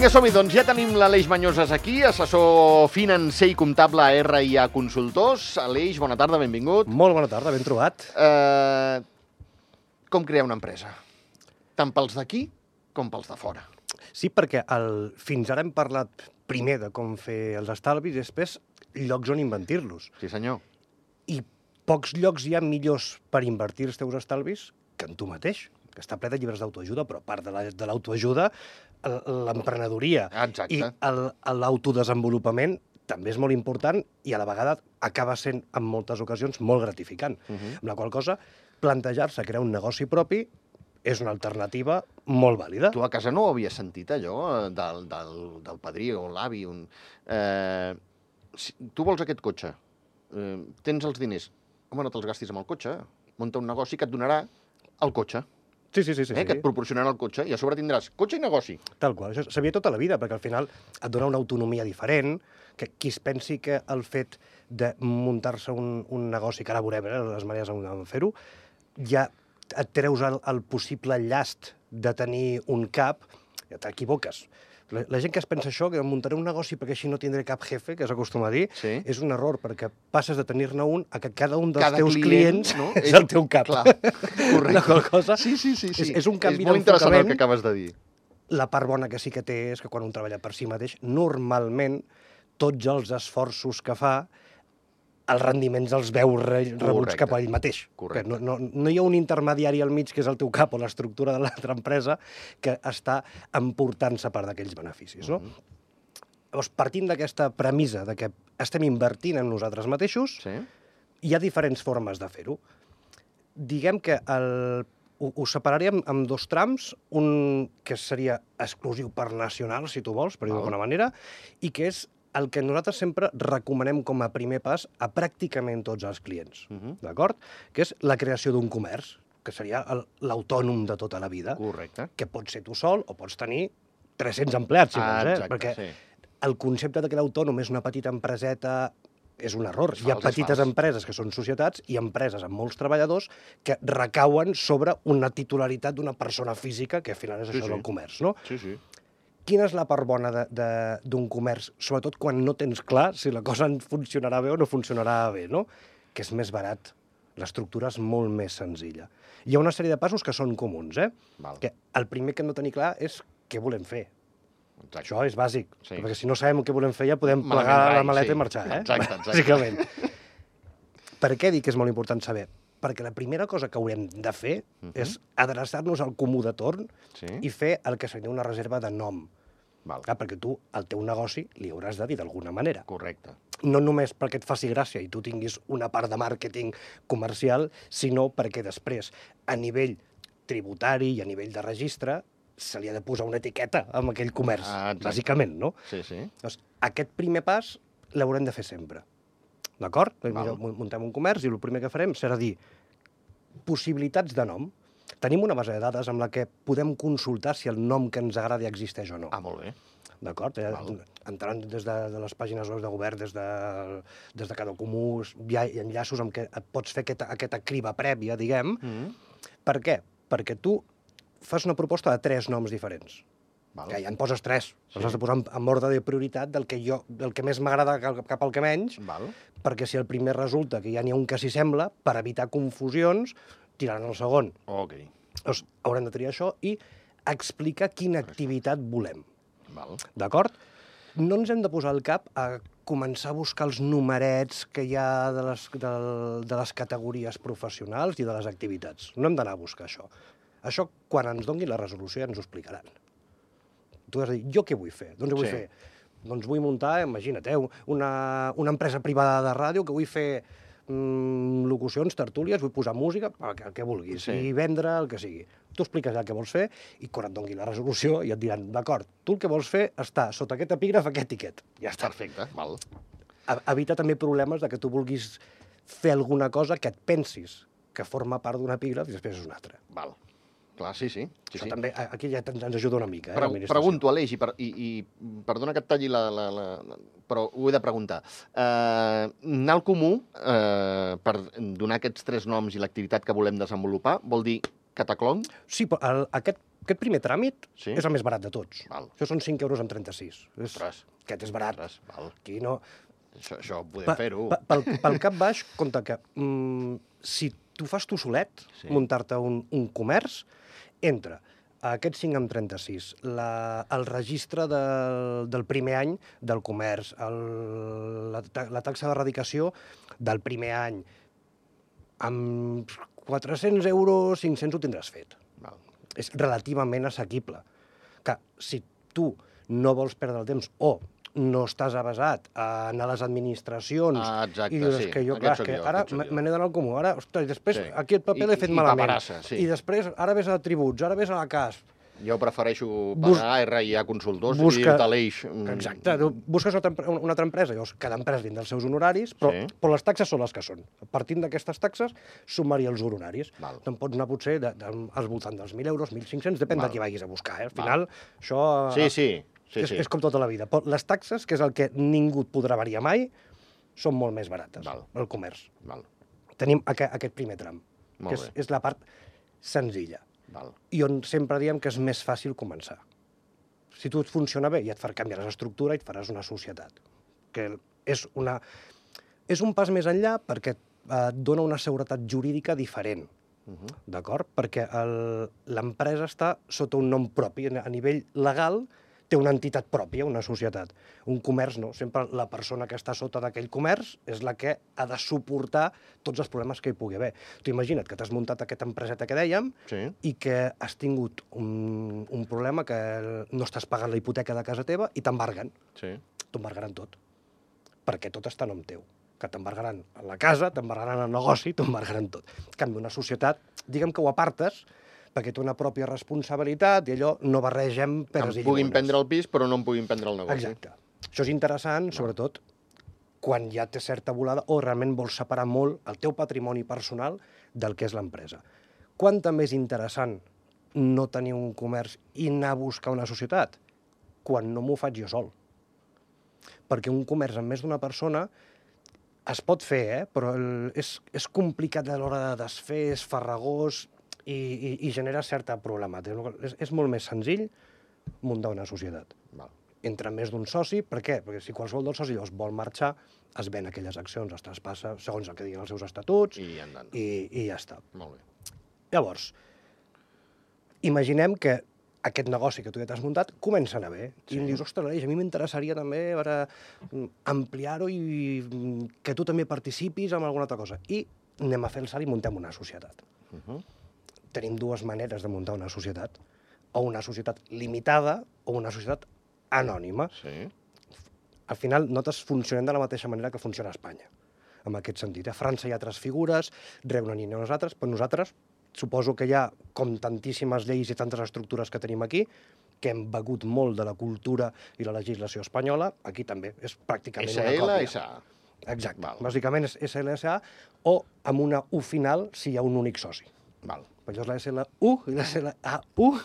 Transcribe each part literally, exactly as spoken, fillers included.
Vinga, som-hi, doncs ja tenim l'Aleix Mañoses aquí, assessor financer i comptable a R i A Consultors. Aleix, bona tarda, benvingut. Molt bona tarda, ben trobat. Uh, com crear una empresa? Tant pels d'aquí com pels de fora. Sí, perquè el, fins ara hem parlat primer de com fer els estalvis i després llocs on invertir-los. Sí, senyor. I pocs llocs hi ha millors per invertir els teus estalvis que en tu mateix, que està ple de llibres d'autoajuda, però a part de la, de l'autoajuda, l'emprenedoria Exacte. i el- l'autodesenvolupament també és molt important i a la vegada acaba sent, en moltes ocasions, molt gratificant. Uh -huh. Amb la qual cosa, plantejar-se crear un negoci propi és una alternativa molt vàlida. Tu a casa no ho havies sentit, allò, eh, del, del, del padrí o l'avi? Un... Eh, si tu vols aquest cotxe, eh, tens els diners, home, no te'ls gastis amb el cotxe, munta un negoci que et donarà el cotxe, Sí, sí, sí. sí, eh, sí. que et proporcionarà el cotxe, i a sobre tindràs cotxe i negoci. Tal qual. Això s'havia tota la vida, perquè al final et dona una autonomia diferent, que qui es pensi que el fet de muntar-se un, un negoci, que ara veurem eh, les maneres de fer-ho, ja et treus el, el possible llast de tenir un cap, ja t'equivoques. La, la gent que es pensa això, que muntaré un negoci perquè així no tindré cap jefe, que s'acostuma a dir, Sí. és un error, perquè passes de tenir-ne un a que cada un dels Cada teus client, clients no? és el teu cap. Clar, correcte. La qual cosa Sí, sí, sí. sí. És, és un canvi És molt interessant el d'enfocament. que acabes de dir. La part bona que sí que té és que quan un treballa per si mateix, normalment tots els esforços que fa, els rendiments els veu re rebuts Correcte. cap a ell mateix. Correcte. Que no, no, no hi ha un intermediari al mig, que és el teu cap o l'estructura de l'altra empresa, que està emportant-se part d'aquells beneficis. No? Mhm. Llavors, partint d'aquesta premissa de que estem invertint en nosaltres mateixos, Sí? hi ha diferents formes de fer-ho. Diguem que el, ho, ho separaríem en dos trams, un que seria exclusiu per nacional, si tu vols, per dir-ho Val. d'alguna manera, i que és el que nosaltres sempre recomanem com a primer pas a pràcticament tots els clients, Mhm. d'acord? Que és la creació d'un comerç, que seria el- l'autònom de tota la vida, Correcte. que pots ser tu sol o pots tenir tres-cents empleats, si Ah, vols, eh? exacte, Perquè sí. el concepte de que l'autònom és una petita empreseta és un error. És Hi ha fals, és petites fals. empreses que són societats i empreses amb molts treballadors que recauen sobre una titularitat d'una persona física, que al final és Sí, això sí. del comerç, no? Sí, sí. Quina és la part bona de- de- d'un comerç, sobretot quan no tens clar si la cosa funcionarà bé o no funcionarà bé, no? Que és més barat. L'estructura és molt més senzilla. Hi ha una sèrie de passos que són comuns, eh? Val. Que el primer que hem de tenir clar és què volem fer. Exacte. Això és bàsic, Sí. perquè si no sabem què volem fer ja podem Malament plegar rai, la maleta sí. i marxar, eh? Exacte, exacte. Bàsicament. Per què dic que és molt important saber? Perquè la primera cosa que haurem de fer uh -huh. és adreçar-nos al comú de torn Sí? i fer el que seria una reserva de nom. Val. Clar, perquè tu al teu negoci li hauràs de dir d'alguna manera. Correcte. No només perquè et faci gràcia i tu tinguis una part de màrqueting comercial, sinó perquè després, a nivell tributari i a nivell de registre, se li ha de posar una etiqueta amb aquell comerç, Ah, exacte. bàsicament, no? Sí, sí. Doncs aquest primer pas l'haurem de fer sempre. D'acord? Val. Mira, muntem un comerç i el primer que farem serà dir possibilitats de nom. Tenim una base de dades amb la que podem consultar si el nom que ens agrada existeix o no. Ah, molt bé. D'acord? Eh, Val. entrant des de, de les pàgines web de govern, des de, des de cada comú, hi ha enllaços amb què et pots fer aquesta, aquesta criba prèvia, diguem. Mm. Per què? Perquè tu fas una proposta de tres noms diferents. Val. Que ja en poses tres. Sí. Els has de posar en, en ordre de prioritat del que, jo, del que més m'agrada cap, cap al que menys, Val. perquè si el primer resulta que ja n'hi ha un que s'hi sembla, per evitar confusions, tiraran el segon. Ok. Llavors, haurem de triar això i explicar quina activitat volem. Val. D'acord? No ens hem de posar al cap a començar a buscar els numerets que hi ha de les, de, de les categories professionals i de les activitats. No hem d'anar a buscar això. Això, quan ens donguin la resolució, ja ens ho explicaran. Tu has de dir, jo què vull fer? Doncs vull Sí. fer? Doncs vull muntar, imagina't, eh, una, una empresa privada de ràdio que vull fer mm, locucions, tertúlies, vull posar música, el que, el que vulguis, Sí. i vendre el que sigui. Tu expliques ja el que vols fer i quan et doni la resolució ja et diran, d'acord, tu el que vols fer està sota aquest epígraf, aquest tiquet. Ja està. Perfecte. Val. E- Evita també problemes de que tu vulguis fer alguna cosa que et pensis que forma part d'un epígraf i després és un altre. Val. Clar, sí, sí. sí, Això sí. també, a- aquí ja ens ens ajuda una mica, eh, Pre l'administració. pregunto, Aleix, i, per, i, i perdona que et talli la... la, la, la però ho he de preguntar. Uh, anar al comú, uh, per donar aquests tres noms i l'activitat que volem desenvolupar, vol dir cataclong? Sí, però el, aquest aquest primer tràmit Sí? és el més barat de tots. Val. Això són cinc euros amb trenta-sis. És, Ostres. aquest és barat. Ostres, val. Aquí no... Això, això podem Pa- fer-ho. pa- Pel, pel cap baix, compte que mm, si tu fas tu solet, Sí. muntar-te un, un comerç, entra a aquest cinc amb trenta-sis, la, el registre del, del primer any del comerç, el, la, ta- la taxa d'erradicació del primer any, amb quatre-cents euros, cinc-cents ho tindràs fet. Val. És relativament assequible. Que si tu no vols perdre el temps o no estàs avasat a anar a les administracions Ah, exacte, i dius sí. que jo, Aquest clar, sóc que jo, ara aquest sóc me jo. me n'he d'anar al comú, ara, ostres, després Sí. aquí el paper I- l'he fet i malament. paperassa, sí. I després, ara ves a tributs, ara ves a la C A S. Jo prefereixo Bus- pagar R I A consultors Busca- i dir-te l'eix. mm, Exacte, tu busques una altra, empre- una altra empresa, llavors cada empresa dins dels seus honoraris, però, Sí. però les taxes són les que són. Partint d'aquestes taxes, sumar-hi els honoraris. Val. Te'n pots anar potser de, de, al voltant dels mil euros, mil cinc-cents, depèn Val. de qui vagis a buscar. Eh? Al Val. final, això... Sí, sí. sí, és, sí. és com tota la vida. Però les taxes, que és el que ningú et podrà variar mai, són molt més barates, Val. el comerç. Val, Tenim aquest, aquest primer tram, Molt que és, bé. és la part senzilla, val. i on sempre diem que és més fàcil començar. Si tu et funciona bé, ja et farà canviar l'estructura i et faràs una societat. Que és, una, és un pas més enllà perquè eh, et dona una seguretat jurídica diferent. Uh -huh. D'acord? Perquè el- l'empresa està sota un nom propi. A nivell legal té una entitat pròpia, una societat. Un comerç no. Sempre la persona que està sota d'aquell comerç és la que ha de suportar tots els problemes que hi pugui haver. Tu imagina't que t'has muntat aquesta empreseta que dèiem Sí. i que has tingut un, un problema que no estàs pagant la hipoteca de casa teva i t'embarguen. Sí. T'embargaran tot. Perquè tot està a nom teu. Que t'embargaran la casa, t'embargaran el negoci, t'embargaran tot. En canvi, una societat, diguem que ho apartes, perquè té una pròpia responsabilitat i allò no barregem Em peres i puguin llimones. prendre el pis, però no em puguin prendre el negoci. Exacte. Això és interessant, sobretot, quan ja té certa volada o realment vols separar molt el teu patrimoni personal del que és l'empresa. Quant també és interessant no tenir un comerç i anar a buscar una societat? Quan no m'ho faig jo sol. Perquè un comerç amb més d'una persona es pot fer, eh? Però el, és, és complicat a l'hora de desfer, és farragós i, i, i genera certa problemàtica. És, és molt més senzill muntar una societat. Val. Entre més d'un soci, per què? Perquè si qualsevol dels socis llavors vol marxar, es ven aquelles accions, es traspassa segons el que diguin els seus estatuts I endavant. i, i ja està. Molt bé. Llavors, imaginem que aquest negoci que tu ja t'has muntat comença a anar bé. Sí. I em dius, ostres, Aleix, a mi m'interessaria també a veure, mm, ampliar-ho i mm, que tu també participis en alguna altra cosa. I anem a fer el salt i muntem una societat. Uh -huh. Tenim dues maneres de muntar una societat. O una societat limitada o una societat anònima. Sí. Al final, nosaltres funcionem de la mateixa manera que funciona a Espanya, en aquest sentit. A França hi ha altres figures, Regne Unit i nosaltres, però nosaltres suposo que hi ha, com tantíssimes lleis i tantes estructures que tenim aquí, que hem begut molt de la cultura i la legislació espanyola, aquí també és pràcticament S una L, còpia. S A. Exacte. Val. Bàsicament és S L S A o amb una U final si hi ha un únic soci. Val. Per això és la S L U i la S L A U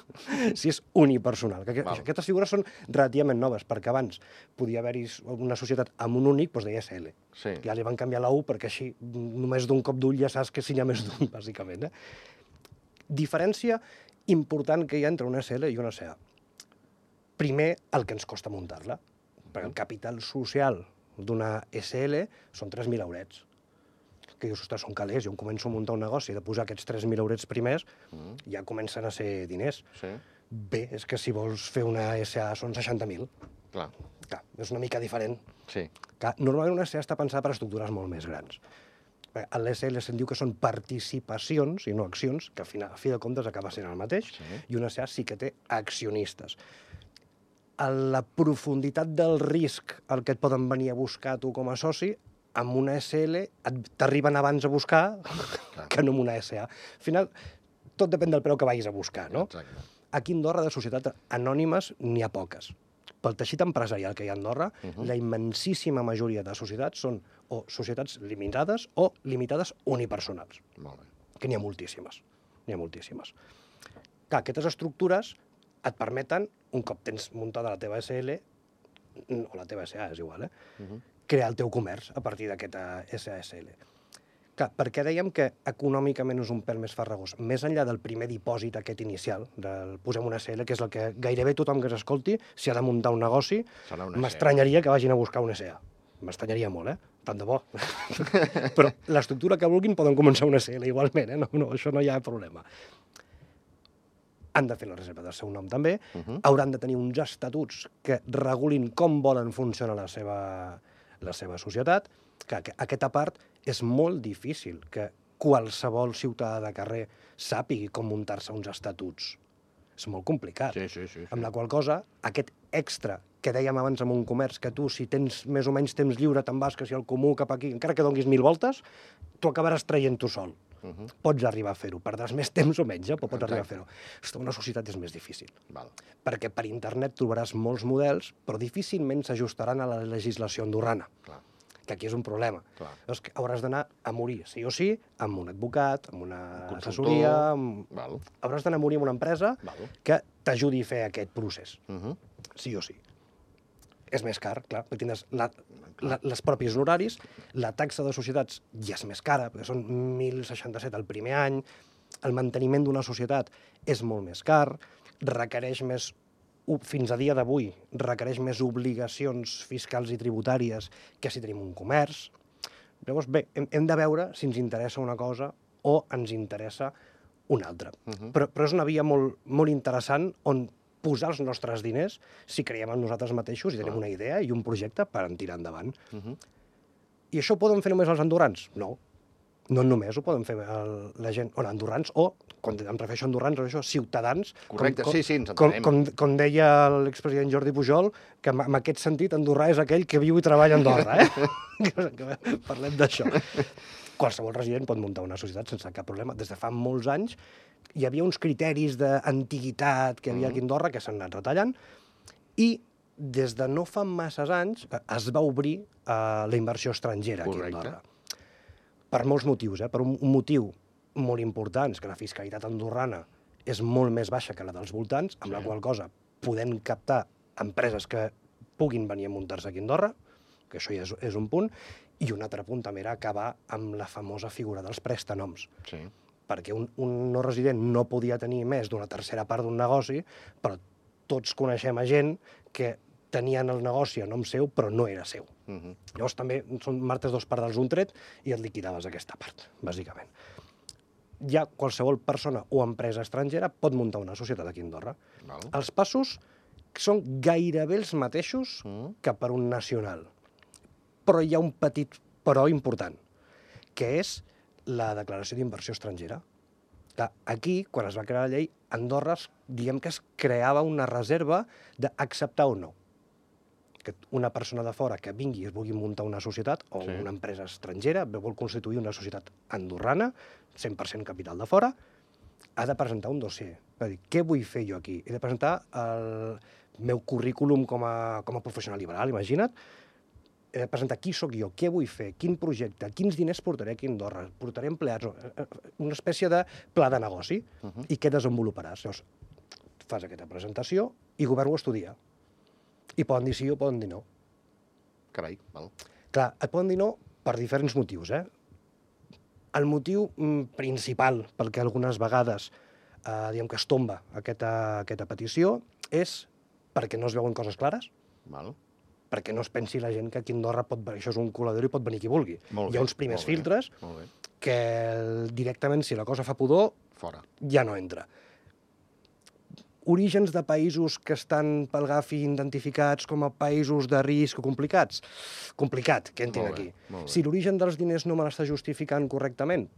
si és unipersonal. Que Val. aquestes figures són relativament noves, perquè abans podia haver-hi una societat amb un únic, doncs deia S L. Sí. Ja li van canviar la U perquè així només d'un cop d'ull ja saps que si n'hi ha més d'un, bàsicament. Eh? Diferència important que hi ha entre una S L i una S A. Primer, el que ens costa muntar-la. Perquè el capital social d'una S L són tres mil eurets. Que dius, ostres, són calés, jo em començo a muntar un negoci de posar aquests tres mil eurets primers, Mm. ja comencen a ser diners. Sí. Bé, és que si vols fer una S A són seixanta mil. Clar. Clar, és una mica diferent. Sí. Clar, normalment una S A està pensada per a estructures molt més grans. A l'S L se'n diu que són participacions i no accions, que a fi, a fi de comptes acaba sent el mateix, Sí. i una S A sí que té accionistes. A la profunditat del risc al que et poden venir a buscar tu com a soci, amb una S L et- t'arriben abans a buscar Clar. que no amb una S A. Al final, tot depèn del preu que vagis a buscar, no? Exacte. Aquí a Andorra de societats anònimes n'hi ha poques. Pel teixit empresarial que hi ha a Andorra, Uh -huh. la immensíssima majoria de societats són o societats limitades o limitades unipersonals, Molt bé. que n'hi ha moltíssimes. N'hi ha moltíssimes. Clar, aquestes estructures et permeten, un cop tens muntada la teva S L, o la teva S A, és igual, eh? Uh -huh. crear el teu comerç a partir d'aquesta S A S L. Clar, perquè dèiem que econòmicament és un pèl més farragós. Més enllà del primer dipòsit aquest inicial, del posem una S L, que és el que gairebé tothom que s'escolti, si ha de muntar un negoci, m'estranyaria que vagin a buscar una S A. M'estranyaria molt, eh? Tant de bo. Però l'estructura que vulguin poden començar una S L igualment, eh? No, no, això no hi ha problema. Han de fer la reserva del seu nom també, uh-huh. hauran de tenir uns estatuts que regulin com volen funcionar la seva, la seva societat, que aquesta part és molt difícil que qualsevol ciutadà de carrer sàpigui com muntar-se uns estatuts. És molt complicat. Sí, sí, sí, sí. Amb la qual cosa, aquest extra que dèiem abans en un comerç, que tu, si tens més o menys temps lliure, te'n vas, que si al comú cap aquí, encara que donguis mil voltes, tu acabaràs traient tu sol. Uh-huh. Pots arribar a fer-ho. Perdràs més temps o menys, eh? però pots Exacte. arribar a fer-ho. Estar en una societat és més difícil. Val. Perquè per internet trobaràs molts models, però difícilment s'ajustaran a la legislació andorrana. Clar. Que aquí és un problema. Llavors, que hauràs d'anar a morir, sí o sí, amb un advocat, amb una un assessoria... Amb... Hauràs d'anar a morir amb una empresa Val. que t'ajudi a fer aquest procés. Uh-huh. Sí o sí. És més car, clar, perquè tindràs la, la, les pròpies horaris, la taxa de societats ja és més cara, perquè són mil seixanta-set el primer any, el manteniment d'una societat és molt més car, requereix més, fins a dia d'avui, requereix més obligacions fiscals i tributàries que si tenim un comerç. Llavors, bé, hem, hem de veure si ens interessa una cosa o ens interessa una altra. Uh-huh. però, però és una via molt, molt interessant on posar els nostres diners si creiem en nosaltres mateixos i tenim una idea i un projecte per en tirar endavant. Uh-huh. I això ho poden fer només els andorrans? No. No només ho poden fer el, la gent, o andorrans, o, quan em refereixo a andorrans, o això, ciutadans. Correcte, com, sí, sí, ens com, entenem. com, com deia l'expresident Jordi Pujol, que en, en aquest sentit andorrà és aquell que viu i treballa a Andorra, eh? que, que parlem d'això. Qualsevol resident pot muntar una societat sense cap problema. Des de fa molts anys hi havia uns criteris d'antiguitat que hi havia aquí a Andorra que s'han anat retallant i des de no fa masses anys es va obrir uh, la inversió estrangera aquí a Andorra. Per molts motius, eh? Per un, un motiu molt important, és que la fiscalitat andorrana és molt més baixa que la dels voltants, amb sí. la qual cosa podem captar empreses que puguin venir a muntar-se aquí a Andorra, que això ja és, és un punt, i un altre punt també era acabar amb la famosa figura dels prestanoms. Sí. Perquè un, un no resident no podia tenir més d'una tercera part d'un negoci, però tots coneixem a gent que tenien el negoci a nom seu, però no era seu. Uh-huh. Llavors també són martes dos pardals d'un tret i et liquidaves aquesta part, bàsicament. Ja qualsevol persona o empresa estrangera pot muntar una societat aquí a Andorra. Val. Els passos són gairebé els mateixos uh-huh. que per un nacional. Però hi ha un petit però important, que és la declaració d'inversió estrangera. Aquí, quan es va crear la llei, Andorra, diguem que es creava una reserva d'acceptar o no. Que una persona de fora que vingui i es vulgui muntar una societat o sí. una empresa estrangera, vol constituir una societat andorrana, cent per cent capital de fora, ha de presentar un dossier. Va dir, què vull fer jo aquí? He de presentar el meu currículum com a, com a professional liberal, imagina't. He de presentar qui sóc jo, què vull fer, quin projecte, quins diners portaré aquí a Andorra, portaré empleats, una espècie de pla de negoci, uh-huh. i què desenvoluparàs. Llavors, fas aquesta presentació i govern ho estudia. I poden dir sí o poden dir no. Carai, val. Clar, et poden dir no per diferents motius, eh? El motiu mm, principal pel que algunes vegades eh, diguem que es tomba aquesta, aquesta petició és perquè no es veuen coses clares, val. Perquè no es pensi la gent que aquí a Andorra pot, això és un colador i pot venir qui vulgui. Molt Hi ha bé, uns primers filtres que directament, si la cosa fa pudor, fora. Ja no entra. Orígens de països que estan pel Gafi identificats com a països de risc o complicats? Complicat, que entrin aquí. Si l'origen dels diners no me l'està justificant correctament?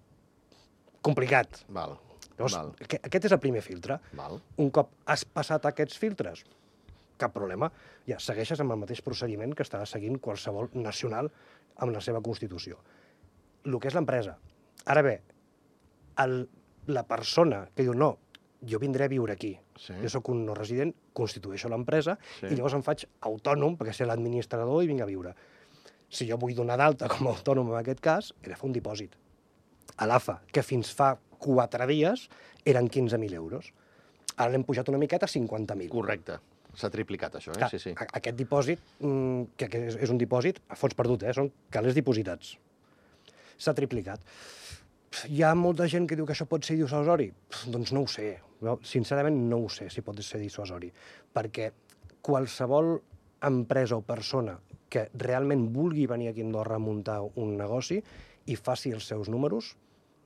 Complicat. Val. Llavors, Val. Aquest és el primer filtre. Val. Un cop has passat aquests filtres, cap problema. Ja segueixes amb el mateix procediment que està seguint qualsevol nacional amb la seva Constitució. El que és l'empresa. Ara bé, el, la persona que diu no, jo vindré a viure aquí, sí. jo sóc un no resident, constitueixo l'empresa sí. i llavors em faig autònom perquè sé l'administrador i vinc a viure. Si jo vull donar d'alta com a autònom en aquest cas, he de fer un dipòsit. A l'A F A, que fins fa quatre dies eren quinze mil euros. Ara l'hem pujat una miqueta a cinquanta mil. Correcte. S'ha triplicat, això, eh? Clar, sí, sí. Aquest dipòsit, que és un dipòsit a fons perdut, eh? Són calés dipositats. s'ha triplicat. Hi ha molta gent que diu que això pot ser dissuasori? Doncs no ho sé. Jo, sincerament, no ho sé si pot ser dissuasori. Perquè qualsevol empresa o persona que realment vulgui venir aquí a Andorra a muntar un negoci i faci els seus números,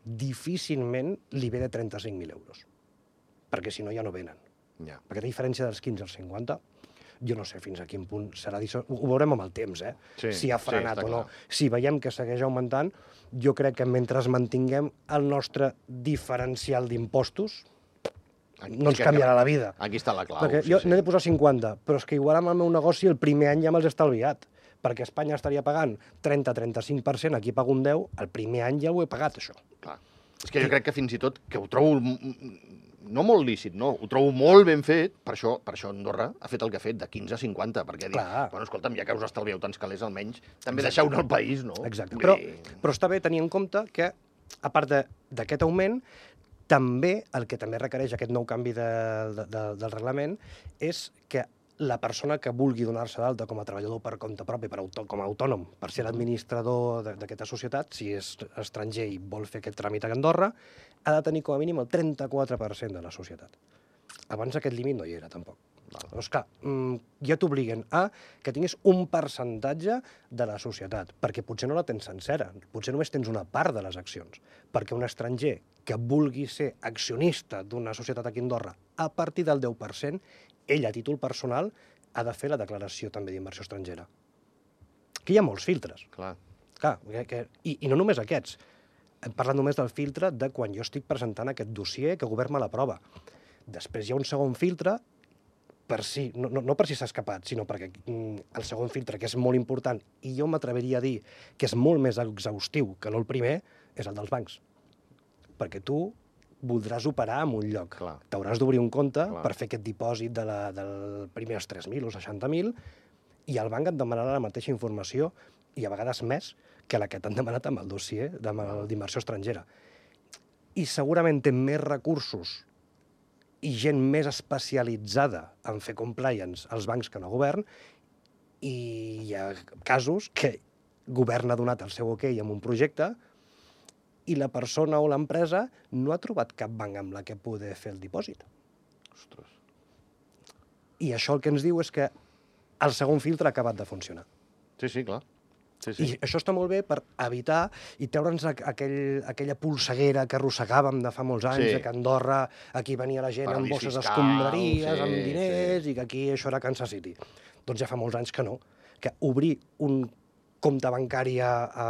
difícilment li ve de trenta-cinc mil euros. Perquè si no ja no venen. Ja. Perquè la diferència dels quinze als cinquanta, jo no sé fins a quin punt serà dissuasori. Ho veurem amb el temps, eh? Sí, si ha frenat sí, o no. clar. Si veiem que segueix augmentant, jo crec que mentre mantinguem el nostre diferencial d'impostos, no ens canviarà la vida. Aquí està la clau. Perquè sí, jo sí. n'he de posar cinquanta, però és que igual amb el meu negoci el primer any ja me'ls he estalviat, perquè Espanya estaria pagant trenta a trenta-cinc per cent, aquí pago un deu, el primer any ja ho he pagat, això. Clar. És que jo crec que fins i tot, que ho trobo no molt lícit, no, ho trobo molt ben fet, per això, per això Andorra ha fet el que ha fet, de quinze a cinquanta, perquè ha dit, Clar. bueno, escolta'm, ja que us estalvieu tants calés, almenys també deixeu-ne el país, no? Exacte. Vull Però, dir, però està bé tenir en compte que, a part de- d'aquest augment, també el que també requereix aquest nou canvi de, de, de, del reglament és que la persona que vulgui donar-se d'alta com a treballador per compte propi, per autò, com a autònom, per ser l'administrador de- d'aquesta societat, si és estranger i vol fer aquest tràmit a Andorra, ha de tenir com a mínim el trenta-quatre per cent de la societat. Abans aquest límit no hi era, tampoc. Llavors, clar, mm, ja t'obliguen a que tinguis un percentatge de la societat, perquè potser no la tens sencera, potser només tens una part de les accions, perquè un estranger que vulgui ser accionista d'una societat aquí a Andorra a partir del deu per cent, ell a títol personal ha de fer la declaració també d'inversió estrangera. Que hi ha molts filtres. clar. Clar, que, que, i, i no només aquests. Hem parlat només del filtre de quan jo estic presentant aquest dossier que el govern me l'aprova. Després hi ha un segon filtre, per si, no, no, no per si s'ha escapat, sinó perquè mm, el segon filtre, que és molt important, i jo m'atreviria a dir que és molt més exhaustiu que no el primer, és el dels bancs. Perquè tu voldràs operar en un lloc. Clar. T'hauràs d'obrir un compte Clar. per fer aquest dipòsit de la, del primer els tres mil o seixanta mil, i el banc et demanarà la mateixa informació, i a vegades més, que la que t'han demanat amb el dossier d'inversió estrangera. I segurament té més recursos i gent més especialitzada en fer compliance als bancs que no govern, i hi ha casos que govern ha donat el seu ok amb un projecte i la persona o l'empresa no ha trobat cap banc amb la que poder fer el dipòsit. Ostres. I això el que ens diu és que el segon filtre ha acabat de funcionar. Sí, sí, clar. Sí, I sí. això està molt bé per evitar i treure'ns aqu- aquell, aquella polseguera que arrossegàvem de fa molts anys, Sí. sí. que a Andorra aquí venia la gent amb Paradís bosses fiscal, d'escombraries, sí, amb diners, sí. i que aquí això era Kansas City. Doncs ja fa molts anys que no. Que obrir un compte bancari a, a,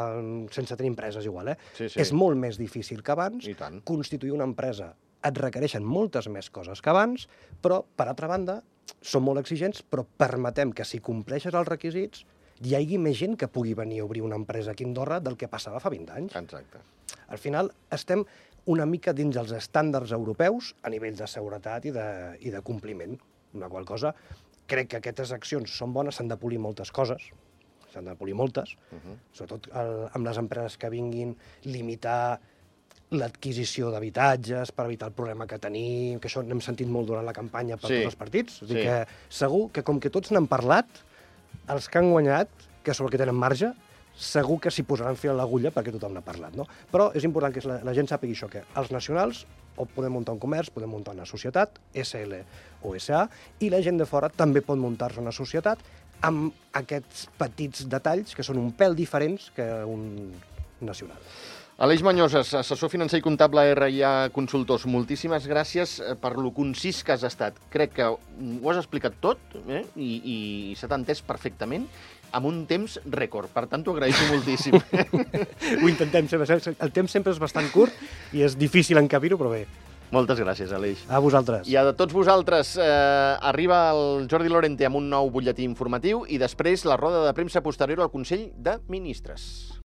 sense tenir empreses igual, eh? Sí, sí. És molt més difícil que abans. I tant. Constituir una empresa et requereixen moltes més coses que abans, però, per altra banda, són molt exigents, però permetem que si compleixes els requisits hi hagi més gent que pugui venir a obrir una empresa aquí a Andorra del que passava fa vint anys. Exacte. Al final estem una mica dins els estàndards europeus a nivell de seguretat i de, i de compliment. Una qual cosa, crec que aquestes accions són bones, s'han de polir moltes coses, s'han de polir moltes, uh -huh. sobretot el, amb les empreses que vinguin, limitar l'adquisició d'habitatges per evitar el problema que tenim, que això n'hem sentit molt durant la campanya per Sí. tots els partits. És a dir, Sí. que segur que com que tots n'han parlat, els que han guanyat, que són els que tenen marge, segur que s'hi posaran fil a l'agulla perquè tothom n'ha parlat, no? Però és important que la, la gent sàpigui això, que els nacionals o podem muntar un comerç, podem muntar una societat, essa ele o essa a, i la gent de fora també pot muntar-se una societat amb aquests petits detalls que són un pèl diferents que un nacional. Aleix Mañoses, assessor financer i comptable R I A Consultors, moltíssimes gràcies per lo concís que has estat. Crec que ho has explicat tot eh? I, i se t'ha entès perfectament amb un temps rècord. Per tant, t'ho agraeixo moltíssim. Ho intentem, sempre. El temps sempre és bastant curt i és difícil encabir-ho, però bé. Moltes gràcies, Aleix. A vosaltres. I a tots vosaltres, eh, arriba el Jordi Lorente amb un nou butlletí informatiu i després la roda de premsa posterior al Consell de Ministres.